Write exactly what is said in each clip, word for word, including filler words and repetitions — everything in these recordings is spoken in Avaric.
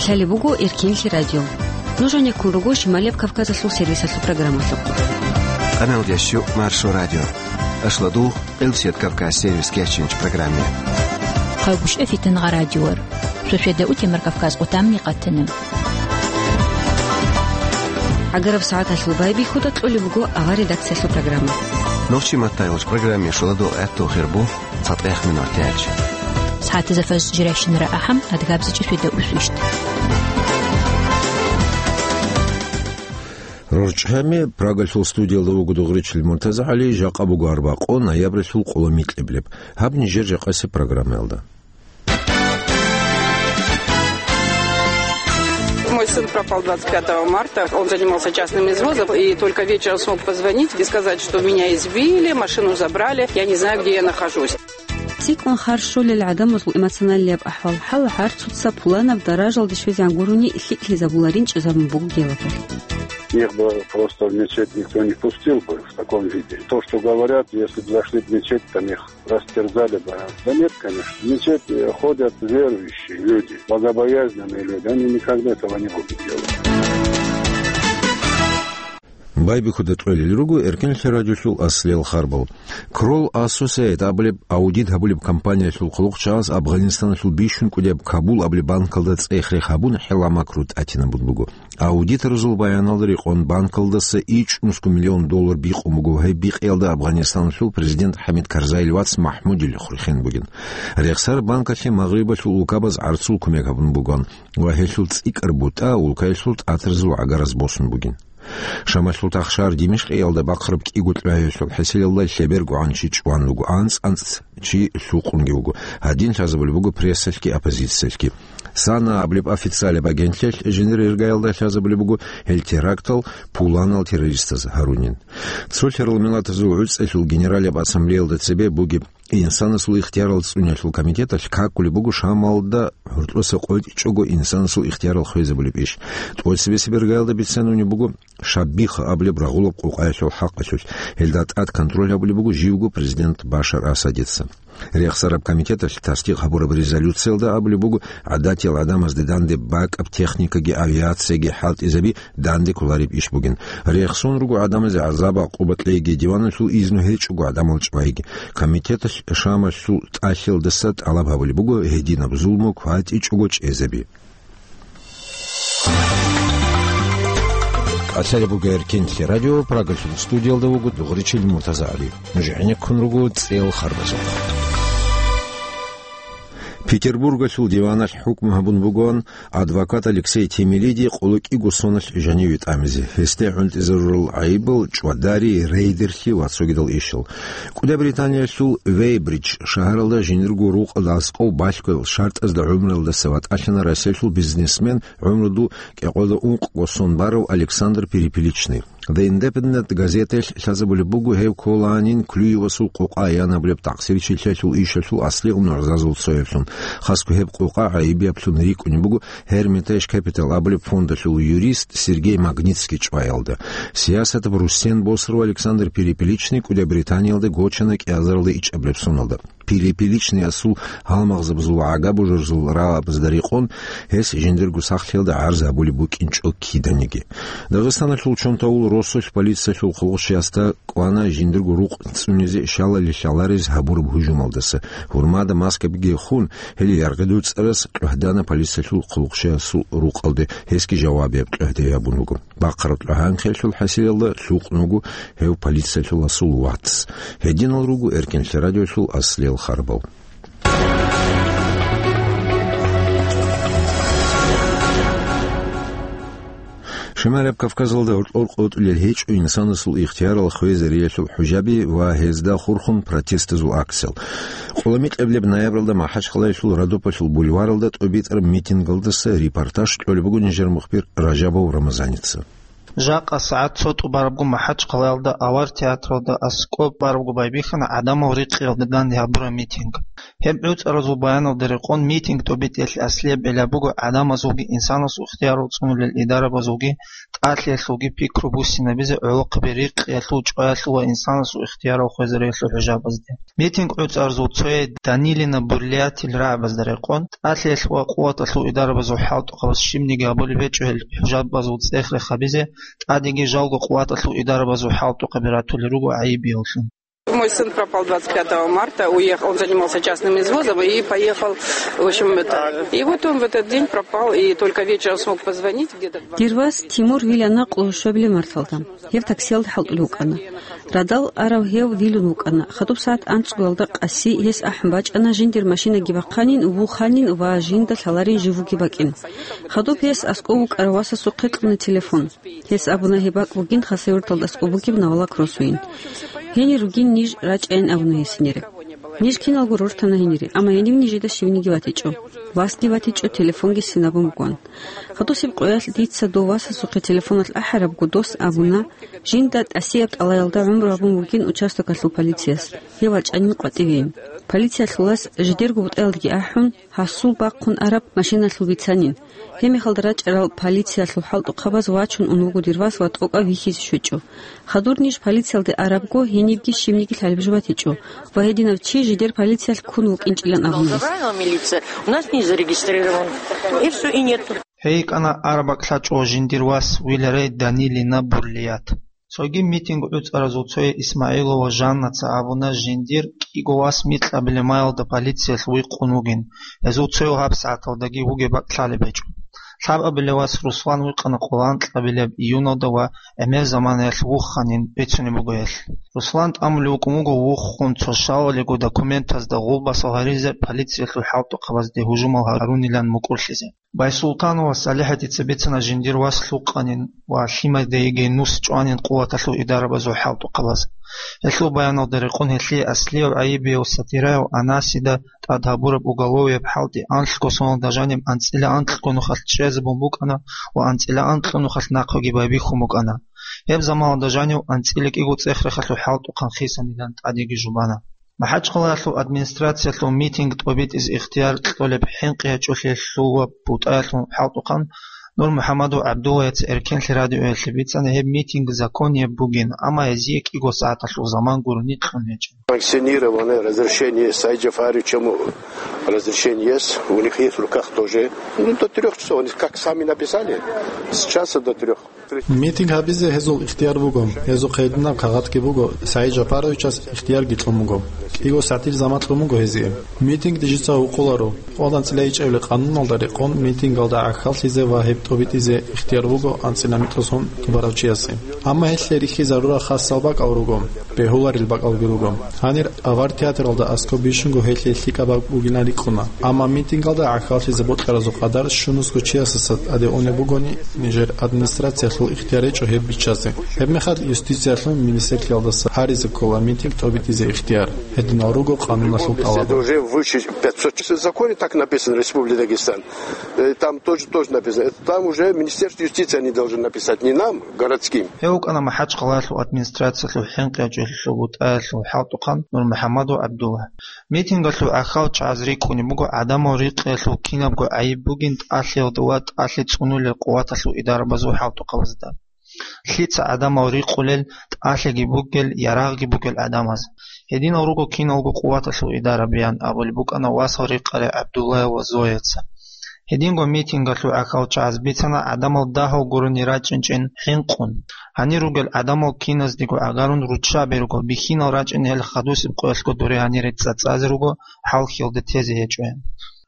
Талеб буго Эркинлъи радио. Нуж гьанеккун руго Шималияб Кавказалъул сервисалъул программалъухъ. Къаналдящу Маршо радио. Ашладу Къилсият Кавказ сервис кечинч программе. Хъавгушев Фитангъа радиор. Шошеда утемар Кавказ къутамни къатана. Агараб сагӀаталъул байбихьуда кьолеб буго авар редакциялъул программа. Нохчи маттайгъуч программе шуладул гӀатту хирбу. ЦатӀех минуталъ. СагӀатазда фаз жирайщинара ахӀам, адгабзичӀи шведа усвищ. РорчӀами Прагалъул студиялда вуго Дугъричил МуртазагӀали, жакъа буго арбакъо, ноябралъул къоло микьиблеб. Гьаб нижер жакъасеб программаялда. Мой сын пропал двадцать пятого марта. Он занимался частным извозом, и только вечером смог позвонить и сказать, что меня избили, машину забрали, я не знаю, где я нахожусь. ЦӀикӀкӀун харж щолел гӀадамазул эмоционалияб ахӀвал-хӀал гӀарцуца пуланаб даражалде щвезегӀан гурони лъикӀлъизабула ринчӀезабун бугеб гьелаб. Их бы просто в мечеть никто не пустил бы в таком виде. То, что говорят, если бы зашли в мечеть, там их растерзали бы. Да нет, конечно. В мечеть, э, ходят верующие люди, богобоязненные люди. Они никогда этого не будут делать. Байбихьуда кьолел руго Эркинлъи радиолъул аслиял харбал. Кролл Ассосиэйт абулеб аудит гьабулеб компаниялъул хъулухъчагӀаз Афганистаналъул бищун кӀудияб Кабул абулеб банкалда цӀех-рех гьабун, хӀеламакру тӀатинабун буго. Аудиторазул баяналда рекъон, банкалдаса ичӀнусго миллион доллар бикъун буго, гьеб бикъиялда Афганистаналъул президент ХӀамид Карзайил вац МахӀмудил хурхен бугин. Рехсараб банкалъе Магърибалъул улкабаз гӀарцул кумек гьабун буган ва гьелъул цӀикӀкӀар бутӀа улкаялъул тӀатразул гӀагараз босун бугин. Шамалъул тахшар Димишкъиялда бахъараб кӀиго кьвагьиялъул хӀисиналда лъебергогӀан чи чӀван вуго, анцӀ-анцӀ чи лъукъунги вуго. Гьадин лъазабулеб буго прессалъги оппозициялъги. САНА абулеб официалияб агентлъиялъ жиндир иргаялда лъазабулеб буго гьел терактал пуланал террористаз гьарунин. Цо лъарал миллатазул гӀуцӀалъул генералияб ассамблеялда цебе бугеб Инсанасул ихтиярал цӀуниялъул комитеталъ какулеб буго Шамалда гӀуртӀуса къотӀичӀого инсанасул ихтиярал хвезабулеб иш. ТӀоцебесеб иргаялда бицанунеб буго Шаббиха абулеб рагъулаб къокъаялъул хӀакъалъулъ. Гьелда тӀад контроль гьабулеб буго живго президент Башар Асадица. Рехсараб комитеталъ тасдикъ гьабураб резолюциялда абулеб буго гӀадатиял гӀадамазде данде бакӀаб техникаги авиацияги хӀалтӀизаби данде кколареб иш бугин. Рехсон руго гӀадамазе гӀазаб-гӀакъуба кьейги, диваналъул изну гьечӀого гӀадамал чӀвайги. Комитеталъ Шамалъул тӀалъиялдаса тӀалаб гьабулеб буго гьединаб зулму кватӀичӀого чӀезаби. Къалъалеб буго Эркинлъи радио, Прагалъул студиялда вуго Дугъричил МуртазагӀали. Нуж гӀенеккун руго цӀел харбазухъ. Петербургалъул диваналъ хӀукму гьабун бугоан адвокат Алексей Темелиди къоло кӀиго соналъ жаниве тӀамизе. Гьесде гӀунтӀизарурал гӀайибал чӀвадари, рейдерлъи ва цогидал ишал. КӀуди Британиялъул Вейбридж шагьаралда жиндирго рукъалда аскӀов балъгоял шартӀазда гӀумруялдаса ватӀалъана Россиялъул бизнесмен, гӀумруду кӀикъоялда ункъго сон барав Александр Перепеличный. The Independent газетаялъ лъазабулеб буго гьев кколанин Клюевасул къокъа янабулеб такъсирчилъиялъул ишалъул аслигъун гӀузазул цояблъун. Хасго гьеб къокъа гӀайибияблъун рикӀкӀунеб буго Hermitage Capital абулеб фондалъул юрист Сергей Магнитский чӀваялда. Сиясатаб русен босарав Александр Перепеличный КӀуди Британиялда гочана кӀиазаралда ичӀабилеб соналда. Перепеличныясул гьалмагъзабазул, гӀага бужарзул рагӀабазда рекъон, гьес жиндирго сахлъиялда гӀарз гьабулеб букӀинчӀо киданиги. Дагъистаналъул Чонтавул росулъ полициялъул хъулухъчиясда кӀвана жиндирго рукъ цӀунизе щалали лъаларез гьабураб гьужумалдаса. Гьурмада маскабиги хун, гьел яргъи дуцӀарас кьвагьдана полициялъул хъулухъчиясул рукъалде, гьесги жавабияб кьвагьде гьабун вуго. Бахъараб кьвагьанхъиялъул хӀасилалда лъукъун вуго гьев полициялъуласул вац. Гьединал руго Эркинлъи радиолъул аслиял харбал. Шималияб Кавказалда гӀоркьор къотӀулел гьечӀо инсанасул ихтиярал хвезариялъул хӀужаби ва гьезда хурхун протестазул акциял. Къоло микьабилеб ноябралда МахӀачхъалаялъул Родопалъул бульваралда тӀобитӀараб митингалдаса репортаж кьолеб буго нижер мухбир Ражабов Рамазаница. Жакъа сагӀат цо тӀубарабго МахӀачхъалаялда авар театралда аскӀоб барабго байбихьана гӀадамал рикъиялда данде гьабураб митинг. Гьеб гӀуцӀаразул баяналда рекъон митинг тӀобитӀиялъе аслияб гӀилла буго гӀадамазулги инсанасул ихтиярал цӀунулел идарабазулги тӀалъиялъулги пикру буссинабизе гӀолохъаби рикъиялъул, чӀваялъул ва инсанасул ихтиярал хвезариялъул хӀужабазде. Митинг гӀуцӀарзул цояй Данилина Бурлиятил рагӀабазда рекъон, тӀалъиялъ ва къуваталъул идарабазул хӀалтӀухъабаз щибниги гьабулеб гьечӀо гьел хӀужабазул цӀех-рех гьабизе, тӀадеги жалго къуваталъул идарабазул хӀалтӀухъаби ратулел руго гӀайибияллъун. Мой сын пропал двадцать пятого марта, уехал, он занимался частным извозом и поехал, в общем, это, и вот он в этот день пропал, и только вечером смог позвонить, где-то в Дир вас Тимур вилана къуллъушабилеб марталда. Гьев таксиялда хӀалтӀулев вукӀана. Радал арав гьев вилун вукӀана. Хадуб сагӀат анцӀгоялда къаси гьес ахӀун бачӀана жиндир машинаги бахъанин, вуханин ва жинда лъаларин живуги бакӀин. Хадуб гьес аскӀов вукӀарав васасухъе кьуна телефон. Гьес абуна, гьеб бакӀ бугин Хасавюрталда аскӀоб бугеб Навала Кроссуин. Гьенир ругин ниж рачӀайин абуна гьес гьенире. Ниж киналго рортана гьенире, амма гьенив нижеда щивниги ватичӀо. Васги ватичӀо, телефонги синабун бугон. Хадусеб къоялъ дица дов васасухъе телефоналъ ахӀарабго дос абуна, жинда тӀасияб тӀалаялда гӀумру гьабун бугин участокалъул полицияс, гьев вачӀанин къватӀивейин. Полициялъулас жидерго бутӀаялдаги ахӀун, гьасул бахъун араб машиналъул бицанин. Гьеб мехалда рачӀарал полициялъул хӀалтӀухъабаз вачун ун вуго дир вас ва тӀокӀав вихьизе щвечӀо. Хадур ниж полициялде арабго, гьенибги щибниги лъалеб жо батичӀо ва гьединав чи жидер полициялъ ккун вукӀинчӀилан абуна гьес. Правила милиция у нас не зарегистрирован. И всё, и нету. Гьей йикӀана араб бакӀлъачӀо жиндир вас виларай Данилина Бурлият. Цоги митинг гӀуцӀаразул цояй Исмаилова Жаннаца абуна, жиндир кӀиго вас микьабилеб маялда полициялъ вихъун вугин, гьезул цояв гьабсагӀаталдаги вугеб бакӀ лъалеб гьечӀо. Лъабабилеб вас Руслан вихъана къоло анкьабилеб июналда ва гӀемер заманаялъ вуханин бицунеб буго гьелъ. Руслан тӀамулев вукӀун вуго вухун цо щалалиго документазда гъулбасал гьаризе полициялъул хӀалтӀухъабазде гьужумал гьарунилан мукӀурлъизе. Байсултанова СалихӀатица бицана жиндир вас лъукъанин ва лъимадайги нус чӀванин къуваталъул идарабазул хӀалтӀухъабаз. Гьелъул баяналда рекъон гьелъие аслияв гӀайибияв Сатираев Анасида тӀад гьабураб уголовияб хӀалтӀи анлъго соналда жаниб анцӀила анкьго нухалъ чӀезабун букӀана ва анцӀила анкьго нухалъ нахъеги байбихьун букӀана. Гьеб заманалда жанив анцӀила кӀиго цӀех-рехалъул хӀалтӀухъан хисанилан тӀадеги жубана. МахӀачхъалаялъул администрациялъул митинг тӀобитӀизе ихтияр кьолеб хӀинкъи гьечӀолъиялъул ва бутӀаялъул хӀалтӀухъан Нур МухӀаммадов ГӀабдуллаяца Эркенлъи радиоялъе бицана гьеб митинг законияб бугин, амма гьезие кӀиго сагӀаталъул заман гурони кьун гьечӀо. Санкционированное разрешение Саид Джафаровича, ему разрешение есть, у них есть в руках тоже. Ну, до трёх часов, они как сами написали, с часа до трёх. Митинг гьабизе гьезул ихтияр буго. Гьезухъ гьединаб кагъатги буго, Саид Жапаровичас ихтиярги кьун буго. КӀиго сагӀатил заман кьун буго гьезие. Митингде жица гьукъуларо. Къолан анцӀила ичӀабилеб къануналда рекъон митингалда гӀахьаллъизе ва гьеб тӀобитӀизе ихтияр буго анцӀила микьго сон тӀубарав чиясе. Амма гьелъие рихьизарура хасал бакӀал руго, бегьуларел бакӀалги руго. Гьанир авар театралда аскӀоб бищунго гьелъие лъикӀаб бакӀ бугилан рикӀкӀуна. Амма митингалда гӀахьаллъизе бокьаразул къадар щунусго чиясаса тӀаде унеб бугони, нижер администрациялъул ихтияр гьечӀо гьеб биччазе. Гьебмехалъ юстициялъул министрлъиялдаса гьаризе ккола митинг тӀобитӀизе ихтияр. Гьединал руго къануналъул тӀалаб. Это уже выше пятьсот. В законе так написано, Республика Дагестан. Э, там тоже, тоже написано. Это там уже Министерство юстиции они должны написать, не нам, городским. Гьев вукӀана МахӀачхъалаялъул администрациялъул хӀинкъи гьечӀолъиялъул бутӀаялъул хӀалтӀухъан Нурмухьаммадов ГӀабдулла. Митингалъул гӀахьал чагӀаз рикӀкӀунеб буго гӀадамал рикъиялъул кинабго гӀайиб бугин тӀалъиялда ва тӀалъи цӀунулел къуваталъул идарабазул хӀалтӀухъабазда. Лъица гӀадамал рикъулел, тӀалъиги бугел, ярагъги бугел гӀадамаз. Гьединал руго киналго къуваталъул идарабиян абулеб букӀана васал рикъарай ГӀабдуллаяв ва Зояца. Гьединго митингалъул гӀахьал чагӀаз бицана гӀадамал дагьав гурони рачӀинчӀин хӀинкъун. Гьанир ругел гӀадамал киназдего гӀагарун руччаби руго, бихьинал рачӀин гьел хадусеб къоялъго дуре гьанире цӀацӀазе руго, хӀалхьиялда тезе гьечӀоян.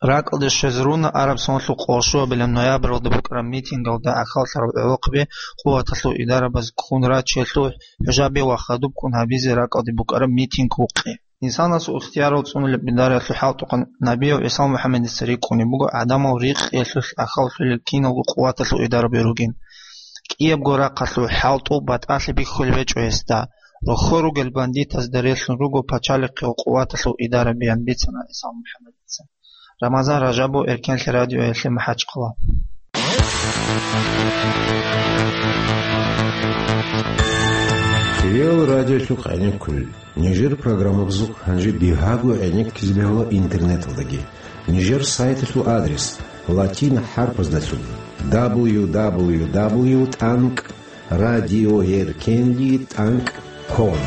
РакӀалде щвезе руна араб соналъул къолшуабилеб ноябралда букӀараб митингалда гӀахьаллъараб гӀолохъаби къуваталъул идарабаз ккун рачиялъул хӀужаби ва хадуб ккун гьабизе ракӀалде букӀараб митинг вукъи. Инсанасул ихтиярал цӀунулеб идараялъул хӀалтӀухъан Набиев ГӀисал МухӀаммадица рикӀкӀунеб буго гӀадамал рикъиялъулъ гӀахьаллъулел киналго къуваталъул идараби ругин. КӀиябго рахъалъул хӀалтӀу батӀалъи бихьулеб гьечӀо гьесда. Рохьо ругел бандитазда релълъун руго пачалихъе ва къуваталъул идарабиян бицана ГӀисал МухӀаммадица. Рамазан Ражабов, Эркенлъи радиоялъе, МахӀачхъала. Хириял радиолъухъ гӀенеккулел. Нижер программабазухъ гьанже бигьаго гӀенеккизе бегьула интернеталдаги. Нижер сайталъул адрес латин хӀарпаздалъун: дабл ю дабл ю дабл ю тӀанкӀ радиоеркенли тӀанкӀ ком.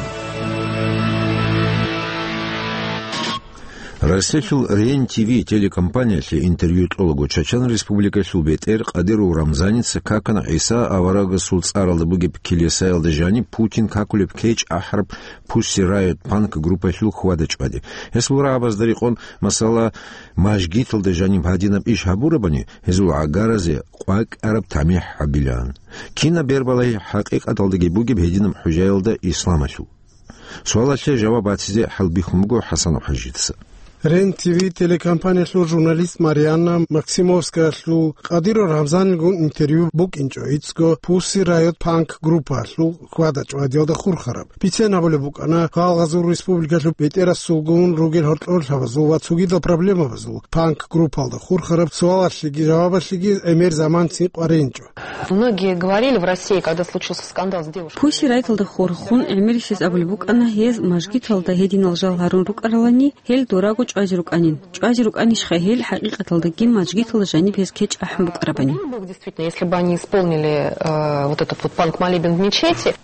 Россиялъул Рен Т В телекомпаниялъе интервью кьолаго Чачан Республикалъул бетӀер Кадыров Рамзаница какана ГӀиса аварагасул цӀаралда бугеб килисаялда жаниб Путин какулеб кечӀ ахӀараб Pussy Riot панк группаялъул хьвада-чӀвади. Гьес бура гьабазда рекъон, масала, мажгиталда жаниб гьадинаб иш гьабурабани, гьезул гӀагаразе къвакӀараб тамихӀ гьабилаан. Кинаб бербалагьи хӀакъикъаталдаги бугеб гьединаб хӀужаялда исламалъул? Суалалъе жаваб батизе хӀалбихьун буго ХӀасан ХӀажица. Рен Т В телекомпаниялъул журналист Марианна Максимовскаялъул Кадыров Рамзанилгун интервью букӀинчӀо гьецӀго Pussy Riot панк группаялъул хьвада-чӀвадиялда хурхараб. Бицен гьабулеб букӀана, гьалгъазул республикалъул бетӀерасулгун ругел гьоркьорлъабазул ва цогидал проблемабазул панк группалда хурхараб суалалъеги жавабалъеги гӀемер заман цӀикъваринчӀо. Многие говорили в России, когда случился скандал с девушкой. Pussy Riot-алда хурхун гӀемерисез абулеб букӀана, гьез мажгиталда гьединал жал гьарун рукӀаралани, гьел дораго чӀвазе рукӀанин. ЧӀвазе рукӀанищха гьел хӀакъикъаталдаги мажгиталда жаниб гьез кечӀ ахӀун букӀарабани? Было бы действительно, если бы они исполнили, э, вот этот вот панк-молебен в мечети.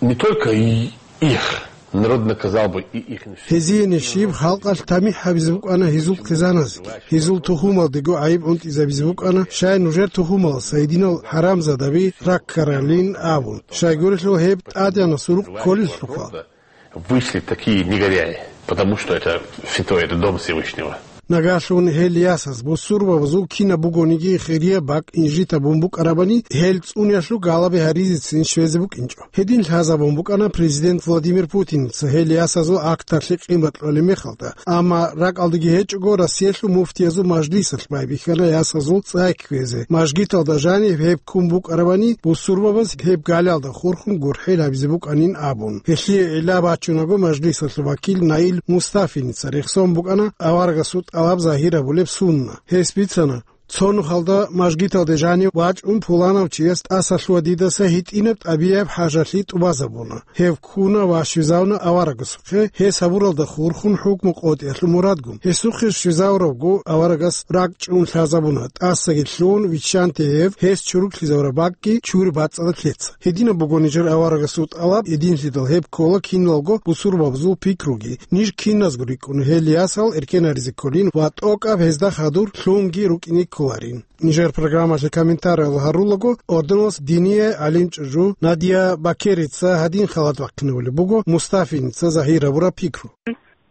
Не только и их. Народ наказал бы и их. Гьезие нижеб халкъалъ тамихӀ гьабизе букӀана гьезул хъизаназеги. Гьезул тухумалдего гӀайиб гӀунтӀизабизе букӀана, щай нужер тухумалас гьединал хӀарамзадаби раккаралин абун. Щайгурелъул гьеб тӀадегӀанасул рукъ кколелъулха. Вышли такие негодяи, потому что это святой, это дом Всевышнего. Нагагьлъун гьел ясаз бусурбабазул кинаб бугониги хирияб бакӀ инжит гьабун букӀарабани, гьел цӀуниялъул галаби гьаризецин щвезе букӀинчӀо. Гьедин лъазабун букӀана президент Владимир Путинца гьел ясазул акталъе къимат кьолеб мехалда, амма ракӀалдаги гьечӀого Россиялъул муфтиязул мажлисалъ байбихьана ясазул цӀай кквезе, мажгиталда жаниб гьеб ккун букӀарабани, бусурбабаз гьеб галиялда хурхун гурхӀел гьабизе букӀанин абун. Гьелъие гӀилла бачунаго мажлисалъул вакил Наил Мустафиница рехсон букӀана аварагасул тӀалаб загьир гьабулеб сунна. Гьес бицана, цо нухалда мажгиталде жанив вачӀун пуланав чияс тӀаса лъугьа дидаса гьитӀинаб тӀабигӀаб хӀажалъи тӀубазабуна. Гьев ккуна ва щвезавуна аварагасухъе, гьес гьабуралда хурхун хӀукму къотӀиялъул мурадгун. Гьесухъе щвезавуравго аварагас ракӀчӀун лъазабуна, тӀасаги лъугьун виччанте гьев, гьес чуруклъизавураб бакӀги чури бацӀцӀадаб лъеца. Гьединаб буго нижер аварагасул тӀалаб, гьединлъидал гьеб ккола киналго бусурбабазул пикруги. Ниж киназго рикӀкӀуна гьел ясал эркенаризе кколин ва тӀокӀаб гьезда хадур лъунги рукӀине кколарин. Нижер программалъе комментариял гьарулаго, орденалъ динияй гӀалимчӀужу Надия Бакерица гьадин халат бахъинабулеб буго Мустафиница загьир гьабураб пикру.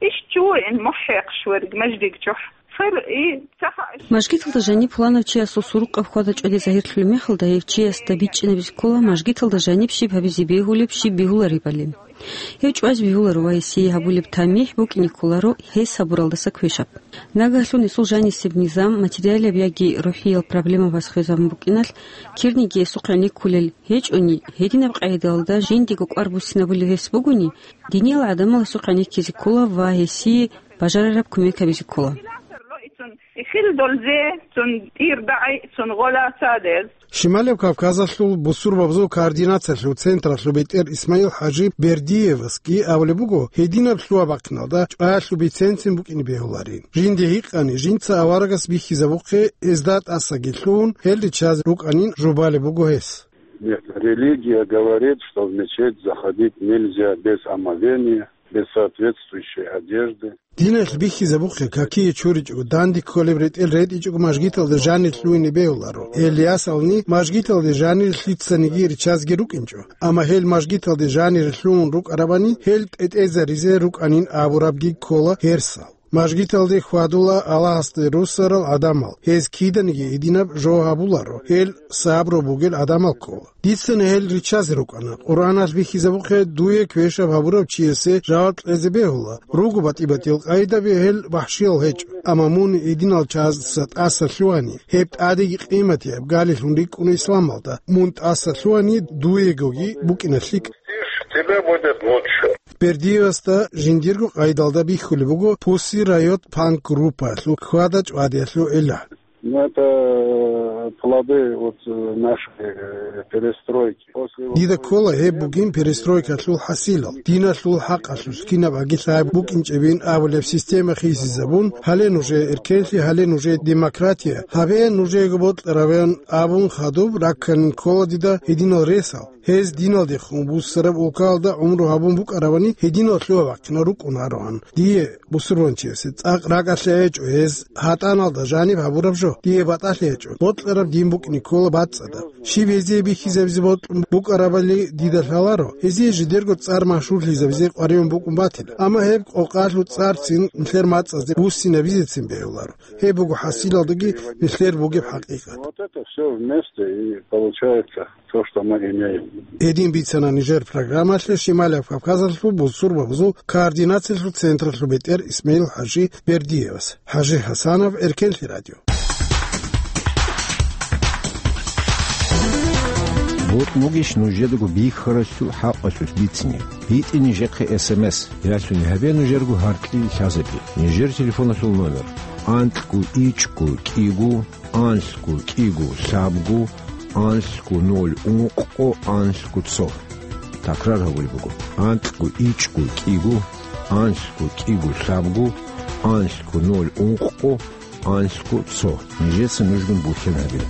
Иш чуин мухӀехъ шверг маждиг чухӀ. Хир и цаха иш. Мажгиталда жаниб пуланав чиясул сурукъаб хьвада-чӀвади загьирлъулеб мехалда, гьев чиясда бичӀчӀинабизе ккола мажгиталда жаниб щиб гьабизе бегьулеб, щиб бегьуларебали. Гьев чӀвазе бегьуларо ва гьесие гьабулеб тамихӀ букӀине кколаро гьес гьабуралдаса квешаб. Нагагьлъун гьесул жанисеб низам, материалияб яги рухӀиял проблемабаз хвезабун букӀиналъ, кирниги гьесухъ гӀенеккулел гьечӀони, гьединаб къагӀидаялда жиндиего кӀвар буссинабулев гьес бугони, диниял гӀадамал гьесухъ гӀенеккизе ккола ва гьесие бажарараб кумек гьабизе ккола. Хил долзе цун тӀир дагӀи цун гъола цадез. Шималев Кавказалъул бусурбабазул координациялъул централъул бетӀер Исмаил-хӀажи Бердиевасги абулеб буго, гьединаб лъугьа-бахъиналда чӀваялъул биценцин букӀине бегьуларин. Жинде гьикъани, жинца аварагас бихьизабухъе, гьезда тӀасаги лъугьун, гьел риччазе рукӀанин жубалеб буго гьес. Нет, религия говорит, что в мечеть заходить нельзя без омовения, без соответствующей одежды. Диналъ бихьизабухъе какие чуричӀого, данде кколеб ретӀел ретӀичӀого мажгиталда жанир лъугьине бегьуларо. Гьел ясални мажгиталде жанир лъицаниги риччазеги рукӀинчӀо. Амма гьел мажгиталде жанир лъугьун рукӀарабани, гьел тӀетӀезаризе рукӀанин абурабги ккола гьерсал. Мажгиталде хьвадула Аллагьасде руссарал гӀадамал, гьез киданиги гьединаб жо гьабуларо, гьел сабру бугел гӀадамал ккола. Дицани гьел риччазе рукӀана. Къуръаналъ бихьизабухъе, дуе квешаб гьабурав чиясе жаваб кьезе бегьула. Руго батӀи-батӀиял къагӀидаби, гьел вахӀшиял гьечӀо. Амма мун гьединал чиясда тӀаса лъугьани, гьеб тӀадеги къиматияб галилъун рикӀкӀуна исламалда. Мун тӀаса лъугьани, дуегоги букӀина лъикӀ. Тебя будет лучше. Бердиевасда жиндирго къагӀидалда бихьулеб буго Pussy Riot панк группаялъул хьвада-чӀвадиялъул гӀилла. Ну, это, э, плоды вот, э, нашей, э, перестройки. После вот... Дида ккола гьеб бугин перестройкалъул хӀасилал, диналъул хӀакъалъулъ кинаб агилъай букӀинчӀебин абулеб система хисизабун, гьале нужее эркенлъи, гьале нужее демократия, гьабе нужеего бокьаравин абун хадуб ракканин ккола дида гьединал ресал. Гьез диналдехун буссараб улкаялда гӀумру гьабун букӀаравани, гьединал лъугьа-бахъинал рукӀунароан. Дие, бусурбанчиясе, цӀакъ ракӀалъе гьечӀо гьез гьатӀаналда жаниб гьабураб жо. Дие батӀалъи гьечӀо. Бокьараб дин букӀине ккола бацӀцӀадаб. Щиб гьезие бихьизабизе бокьун букӀарабали дида лъаларо, гьезие жидерго цӀар машгьурлъизабизе къваригӀун букӀун батила. Амма гьеб къокъалъул цӀарцин нилъер мацӀазде буссинабизецин бегьуларо. Гьеб буго хӀасилалдаги нилъер бугеб хӀакъикъат. Вот это всё вместе и получается то, что мы имеем. Гьедин бицана нижер программалъе Шималияб Кавказалъул бусурбабазул координациялъул централъул бетӀер Исмаил-хӀажи Бердиевас. ХӀажи ХӀасанов, Эркенлъи радио. Бокьугищ нужедаго бихьаралъул хӀакъалъулъ бицине? БитӀе нижехъе СМС, ялъуни гьабе нужерго гьаркьил лъазабизе. Нижер телефоналъул номер: анкьго ичӀго кӀиго, анлъго кӀиго лъабго, анлъго ноль ункъго, анлъго цо. Такрар гьабулеб буго: анкьго ичӀго кӀиго, анлъго кӀиго лъабго, анлъго ноль ункъго, анлъго цо. Нижеца нужгун бухьен гьабила.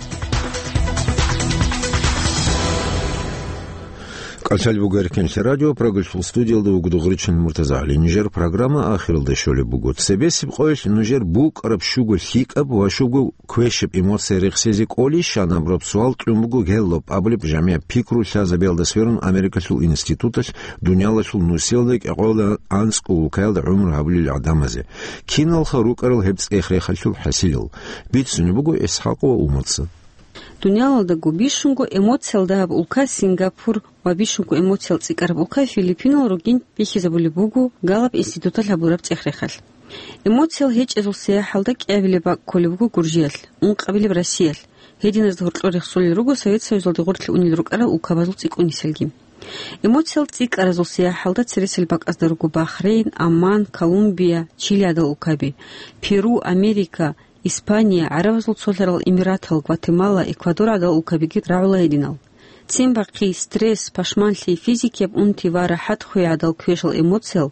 КӀалъалеб буго Эркенлъи радио, Прагалъул студиялда вуго Дугъричин МуртазагӀали. Нижер программа ахиралде щолеб буго. Цебесеб къоялъ нужер букӀараб щуго лъикӀаб ва щуго квешаб эмоция рехсезе кӀолищ? Щанаб раб суал кьун буго Геллоп абулеб жамигӀ пикру лъазабиялда сверун Америкалъул институталъ дуниялалъул нусиялда кӀикъоялда анцӀго улкаялда гӀумру гьабулел гӀадамазе. Киналха рукӀарал гьеб цӀех-рехалъул хӀасилал? Бицунеб буго ИсхӀакъ ва Умаца. Дуниялалдаго бищунго эмоциял дагьаб улка Сингапур ва бищунго эмоциял цӀикӀкӀараб улка Филиппинал ругин бихьизабулеб буго Галлоп институталъ гьабураб цӀех-рехалъ. Эмоциял гьечӀезул сияхӀалда кӀиабилеб бакӀ кколеб буго Гуржиялъ, ункъабилеб Россиялъ. Гьединазда гьоркьор рехсолел руго Совет Союзалде гъорлъ унел рукӀарал улкабазул цӀикӀкӀунисалги. Эмоциял цӀикӀкӀаразул сияхӀалда цересел бакӀазда руго Бахрейн, Оман, Колумбия, Чили гӀадал улкаби, Перу, Америка, Испания, ГӀарабазул цолъарал Эмиратал, Гватемала, Эквадор гӀадал улкабиги рагӀула гьединал. Ццин бахъи, стресс, пашманлъи, физикияб унти ва рахӀат хвей гӀадал квешал эмоциял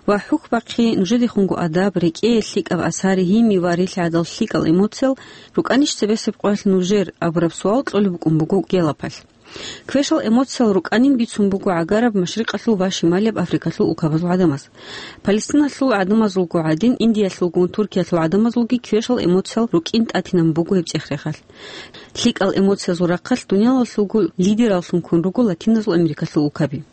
ва хӀухь бахъи, нужедехунго адаб, рекӀее лъикӀаб асар, гьими ва рилъ гӀадал лъикӀал эмоциял рукӀанищ цебесеб къоялъ нужер абураб суал кьолеб букӀун буго Геллопалъ. Квешал эмоциял рукӀанин бицун буго гӀагараб Машрикъалъул ва Шималияб Африкалъул улкабазул гӀадамаз. Палестиналъул гӀадамазулго гӀадин, Индиялъулгун Туркиялъул гӀадамазулги квешал эмоциял рукӀин тӀатинабун буго гьеб цӀех-рехалъ. ЛъикӀал эмоциязул рахъалъ дуниялалъулго лидераллъун ккун руго Латиназул Америкалъул улкаби.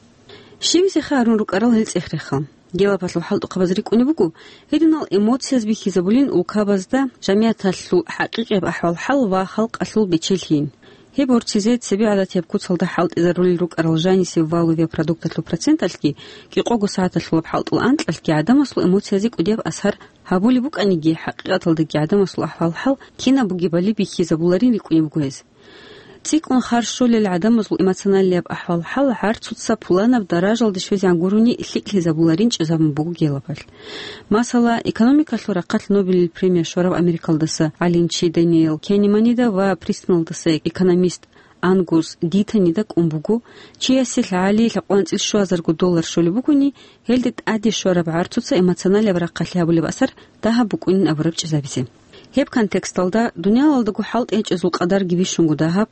Щибизеха гьарун рукӀарал гьел цӀех-рехал? Геллопалъул хӀалтӀухъабаз рикӀкӀунеб буго, гьединал эмоцияз бихьизабулин улкабазда жамигӀаталъул хӀакъикъияб ахӀвал-хӀал ва халкъалъул бечелъийин. Гьеб борцизе цебе гӀадатияб куцалда хӀалтӀизарулел рукӀарал жанисеб валовияб продукталъул проценталъги, кӀикъого сагӀаталъулаб хӀалтӀул анкьалъги гӀадамасул эмоциязе кӀудияб асар гьабулеб букӀаниги, хӀакъикъаталдаги гӀадамасул ахӀвал-хӀал кинаб бугебали бихьизабуларин рикӀкӀунеб буго гьез. ЦӀикӀкӀун харщолел гӀадамазул эмоционалияб ахӀвал-хӀал гӀарцуца пуланаб даражалде щвезегӀан гурони лъикӀлъизабуларин чӀезабун буго Геллопалъ. Масала, экономикалъул рахъалъ Нобелил премия щвараб Америкалдаса гӀалимчи Дэниел Кенеманида ва Пристоналдаса экономист Ангус Дитонида кӀун буго, чиясе лъагӀалиялъ лъабкъоялда анцӀил щуазарго доллар щолеб бугони, гьелде тӀаде щвараб гӀарцуца эмоционалияб рахъалъи гьабулеб асар дагьаб букӀунин абураб чӀезабизе. Гьеб контексталда дуниялалдаго хӀалтӀи гьечӀезул къадарги бищунго дагьаб,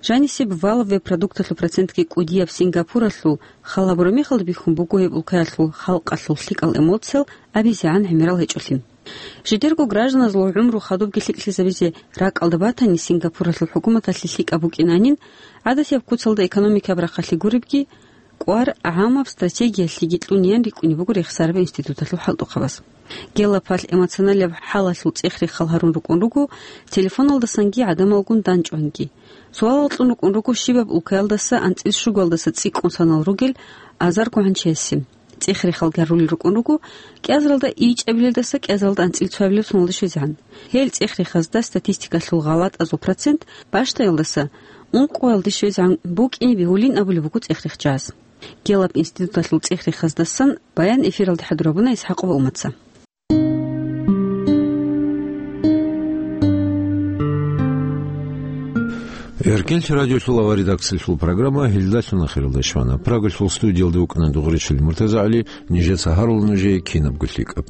жанисеб валовияб продукталъул процентги кӀудияб Сингапуралъул хал гьабураб мехалда бихьун буго гьеб улкаялъул халкъалъул лъикӀал эмоциял абизегӀан гӀемерал гьечӀолъи. Жидерго гражданазул гӀумру хадубги лъикӀлъизабизе ракӀалда батани, Сингапуралъул хӀукуматалъе лъикӀаб букӀинанин, гӀадатияб куцалда экономикаяб рахъалъи гуребги, кӀвар гӀамаб стратегиялъеги кьуниян рикӀкӀунеб буго рехсараб институталъул хӀалтӀухъабаз. Геллопалъ эмоционалияб хӀалалъул цӀех-рехал гьарун рукӀун руго телефоналдасанги гӀадамалгун данчӀванги. Суалал кьун рукӀун руго щибаб улкаялдаса анцӀил щугоялдаса цӀикӀкӀун санал ругел азарго гӀанчиясе. ЦӀех-рехал гьарулел рукӀун руго кӀиазаралда ичӀабилелдаса кӀиазаралда анцӀил цоабилеб соналде щвезегӀан. Гьел цӀех-рехазда статистикалъул гъалатӀазул процент бащдайялдаса ункъоялде щвезегӀан букӀине бегьулин абулеб буго цӀех-рехчияс. Геллоп институталъул цӀех-рехаздасан баян эфиралде хӀадурабуна ИсхӀакъова Умаца. Эркенлъи радиолъул авария редакциялъул программа гьелдалъун ахиралде щвана. Прагалъул студиялда вукӀана Дугъричил МуртазагӀали, нижеца гьарула нужее кинабго лъикӀаб.